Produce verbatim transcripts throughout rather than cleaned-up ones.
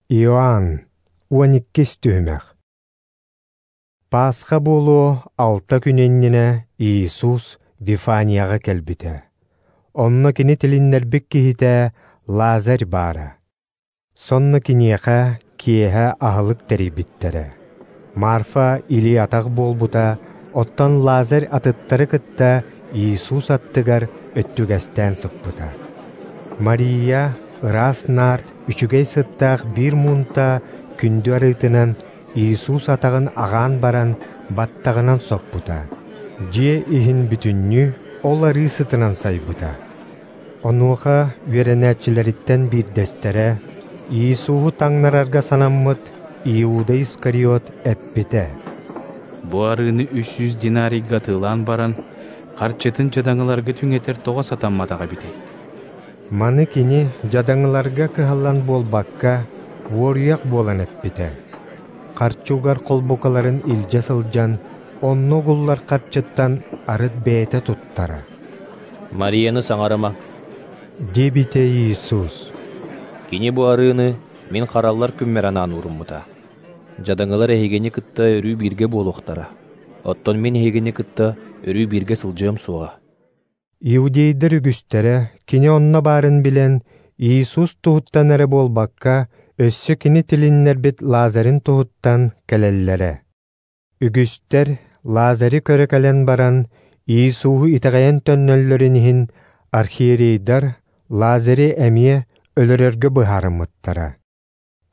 Иоанн, уон иккис түһүмэх. Пасха буолуо алта күн иннинэ Иисус Вифанияҕа кэлбитэ. Онно кини тилиннэрбит киһитэ Лазарь баара. Сонно киниэхэ киэһэ аһылык тэрийбиттэрэ. Марфа илии-атах буолбута, оттон Лазарь атыттары кытта Иисус аттыгар өттүгэстээн сыппыта. Мария ыраас наард үчүгэй сыттаах биир муунта күндү арыытынан Иисус атаҕын аҕаан баран баттаҕынан соппута. Дьиэ иһин бүтүннүү ол арыы сытынан сайбыта. Онуоха үөрэнээччилэриттэн биирдэстэрэ Иисуһу таҥнарарга санаммыт Иуда Искариот эппитэ: «Бу арыыны үс сүүс динарийга атыылаан баран, харчытын дьадаҥыларга түҥэтэр тоҕо сатамматах эбитэй?» Маны кини дьадаҥыларга кыһаллан буолбакка, уоруйах буолан эппитэ. Харчы угар холбукаларын илдьэ сылдьан, онно угуллар харчыттан арыт бэйэтэ туттара. «Марияны саҥарыма», диэбитэ Иисус. «Кини бу арыыны мин хараллар күммэр анаан ууруммута. Дьадаҥылар эһигини кытта өрүү бииргэ буолуохтара, оттон мин эһигини кытта өрүү бииргэ сылдьыам суоҕа». Иудейдар үгүстэрэ кини онно баарын билэн, Иисус туһуттан эрэ буолбакка, өссө кини тилиннэрбит Лазарын туһуттан кэлэллэрэ. Үгүстэр Лазары көрө кэлэн баран, Иисуһу итэҕэйэн төннөллөрүн иһин архиерейдар Лазары эмиэ өлөрөргө быһаарыммыттара.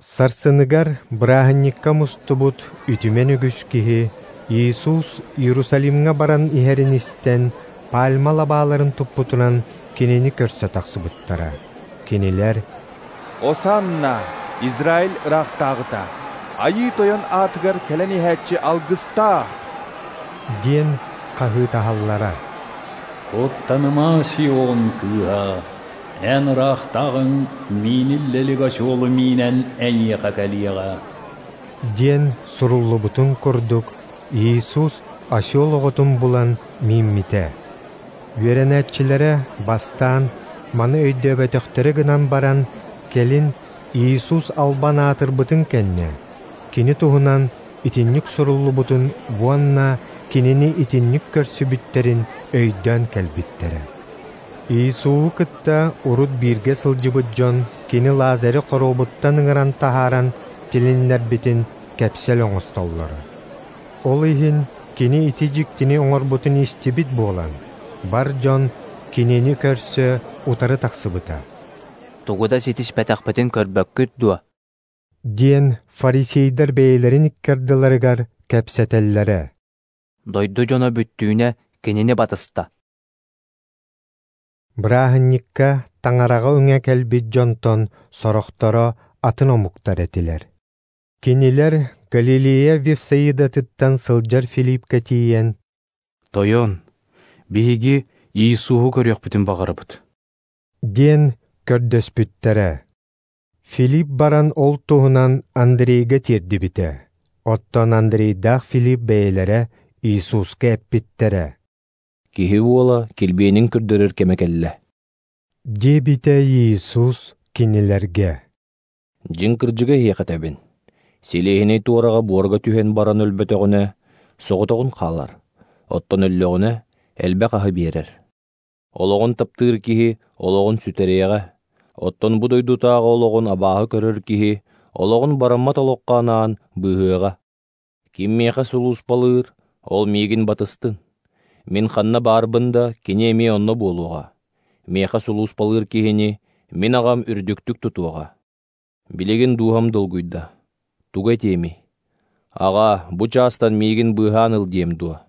Сарсыныгар бырааһынньыкка мустубут үтүмэн үгүс киһи Иисус Иерусалимҥа баран иһэрин истэн, пальма лабааларын туппутунан кинини көрсө тахсыбыттара. Кинилэр: «Осанна, Израиль ыраахтааҕыта, Айыы Тойон аатыгар кэлэн иһээччи алгыстаах!» диэн хаһыытаһаллара. «Куттаныма, Сион кыыһа, эн ыраахтааҕыҥ мииниллэлик осёлу миинэн эйиэхэ кэлиэҕэ» диэн суруллубутун курдук, Иисус осёл оҕотун булан мииммитэ. Үөрэнээччилэрэ бастаан маны өйдөөбөтөхтөрө гынан баран, кэлин Иисус албан аатырбытын кэннэ, кини туһунан итинник суруллубутун уонна кинини итинник көрсүбүттэрин өйдөөн кэлбиттэрэ. Иисуһу кытта урут бииргэ сылдьыбыт дьон кини Лазары хоруобуттан ыҥыран таһааран тилиннэрбитин кэпсэл оҥостоллоро. Ол иһин кини ити дьиктини оҥорбутун истибит буолан, бар дьон кинини көрсө утары тахсыбыта. «Тугу да ситиспэтэхпитин көрбөккүт дуо?» диэн фарисейдар бэйэлэрин иккардыларыгар кэпсэтэллэрэ. «Дойду дьоно бүттүүнэ кинини батыста». Бырааһынньыкка таҥараҕа үҥэ кэлбит дьонтон сорохторо атын омуктар этилэр. Кинилэр Галилея Вифсаидатыттан сылдьар Филиппкэ тиийэн, «Тойон, биһиги Иисуһу көрүөхпүтүн баҕарабыт», диэн көрдөспүттэрэ. Филипп баран ол туһунан Андрейга тиэрдибитэ. Оттон Андрейдаах Филипп бэйэлэрэ Иисуска эппиттэрэ: «Киһи уола килбиэнин көрдөрөр кэмэ кэллэ», диэбитэ Иисус кинилэргэ. «Дьиҥ кырдьыга эһиэхэ этэбин, силиэһинэй туораҕа буорга түһэн баран өлбөтөҕүнэ, соҕотоҕун хаалар, оттон өллөҕүнэ элбэх аһы биэрэр. Олоҕун таптыыр киһи олоҕун сүтэриэҕэ, оттон бу дойдутааҕы олоҕун абааһы көрөр киһи олоҕун бараммат олоххо анаан быыһыаҕа. Ким миэхэ сулууспалыыр, ол миигин батыстын. Мин ханна баарбын да, кини эмиэ онно буолуоҕа. Миэхэ сулууспалыыр киһини мин аҕам үрдүктүк тутуоҕа. Билигин дууһам долгуйда. Тугу этиэмий? Аҕа, бу чаастан миигин быыһаан ыл диэм дуо?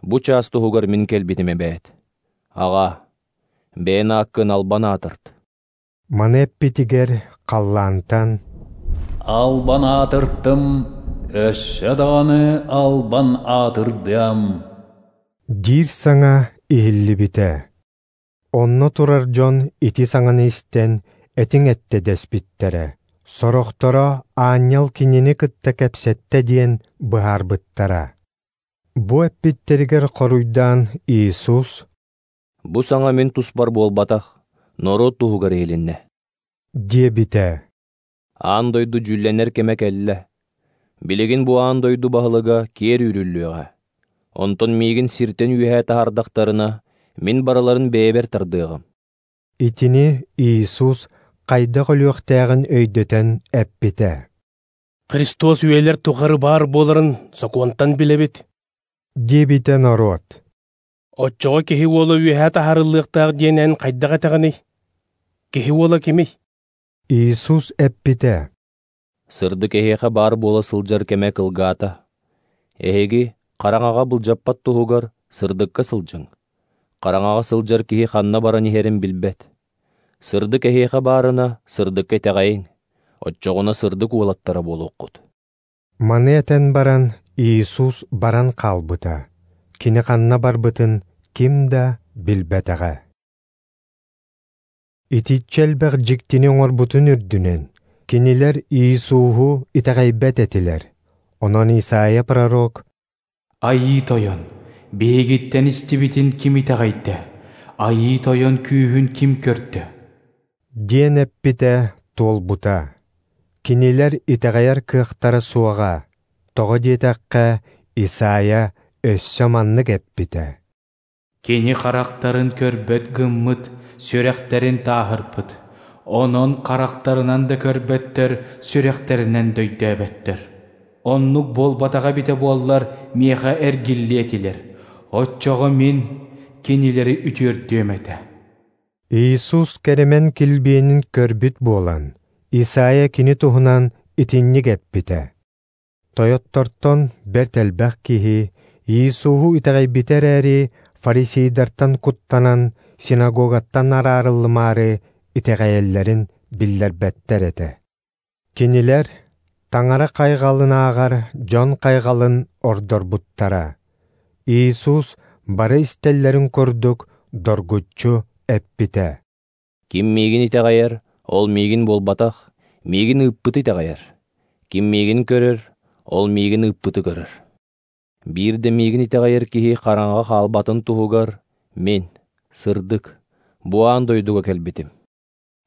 Бу чаас туһугар мин кэлбитим эбээт. Аҕа, бэйэн ааккын албан аатырт». Маны эппитигэр халлаантан «Албан аатыртым, өссө даҕаны албан аатырдыам» диир саҥа иһиллибитэ. Онно турар дьон ити саҥаны истэн, этиҥ этте дэспиттэрэ. Сорохторо аанньал кинини кытта кэпсэттэ диэн быһаарбыттара. Бу эппиттэригэр хоруйдаан Иисус: «Бу саҥа мин туспар буолбатах, норуот туһугар иһилиннэ», диэбитэ. Аан дойду дьүүллэнэр кэмэ кэллэ. Билигин бу аан дойду баһылыга киэр үүрүллүөҕэ. Онтон миигин сиртэн үөһээ таһаардахтарына, мин барыларын бэйэбэр тардыаҕым. Итини Иисус хайдах өлүөхтээҕин өйдөтөн эппитэ. Христос үйэлэр тухары баар буоларын сокуонтан билэбит, диэбитэ норуот. Оччоҕо киһи уола үөһээ таһаарыллыахтаах диэн эн хайдах этэҕиний? Киһи уола кимий? Иисус эппитэ: Сырдык эһиэхэ баар буола сылдьар кэмэ кылгаата. Эһиги хараҥаҕа былдьаппат туһугар сырдыкка сылдьыҥ. Хараҥаҕа сылдьар киһи ханна баран иһэрин билбэт. Сырдык эһиэхэ баарына сырдыкка итэҕэйиҥ, оччоҕуна сырдык уолаттара буолуоххут. Маны этэн баран Иисус баран хаалбыта. Кини ханна барбытын ким да билбэтэҕэ. Итиччэ элбэх дьиктини оҥорбутун үрдүнэн, кинилэр Иисуһу итэҕэйбэт этилэр. Онон Исаия пророк: Айыы Тойон, биһигиттэн истибитин ким итэҕэйдэ? Айыы Тойон күүһүн ким көрдө? Диэн эппитэ туолбута. Кинилэр итэҕэйэр кыахтара суоҕа. Тоҕо диэтэххэ, Исаия өссө маннык эппитэ: Кини харахтарын көрбөт гыммыт, сүрэхтэрин тааһырбыт. Онон харахтарынан да көрбөттөр, сүрэхтэринэн да өйдөөбөттөр. Оннук буолбатаҕа эбитэ буоллар, миэхэ эргиллиэ этилэр. Оччоҕо мин кинилэри үтүөрдүөм этэ. Иисус кэрэмэн килбиэнин көрбүт буолан, Исаия кини туһунан итинник эппитэ. Тойоттортон бэрт элбэх киһи Иисуһу итэҕэйбитэ эрээри, фарисейдартан куттанан, синагогаттан араарыллымаары итэҕэйэллэрин биллэрбэттэр этэ. Кинилэр Таҥара хайҕалын ааҕар дьон хайҕалын ордорбуттара. Иисус бары истэллэрин курдук доргуччу эппитэ: Ким миигин итэҕэйэр, ол миигин буолбатах, миигин ыыппыты итэҕэйэр. Ким миигин көрөр, ол миигин ыыппыты көрөр. Биир да миигин итэҕэйэр киһи хараҥаҕа хаалбатын туһугар мин, сырдык, бу аан дойдуга кэлбитим.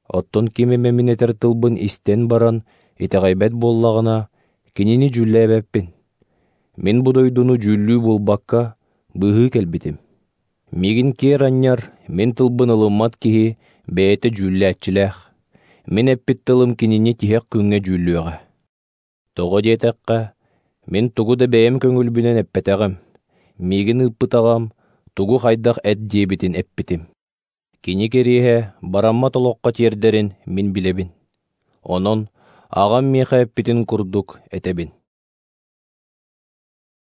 Оттон ким эмэ мин этэр тылбын истэн баран итэҕэйбэт буоллаҕына, кинини дьүүллээбэппин. Мин бу дойдуну дьүүллүү буолбакка, быыһыы кэлбитим. Миигин киэр анньар, мин тылбын ылыммат киһи бэйэтэ дьүүллээччилээх. Мин эппит тылым кинини тиһэх күҥҥэ дьүүллүөҕэ. Тоҕо диэтэххэ, мин тугу да бэйэм көҥүлбүнэн эппэтэҕим. Миигин ыыппытаҕам тугу хайдах эт диэбитин эппитим. Кини кэриэһэ бараммат олоххо тиэрдэрин мин билэбин. Онон аҕам миэхэ эппитин курдук этэбин.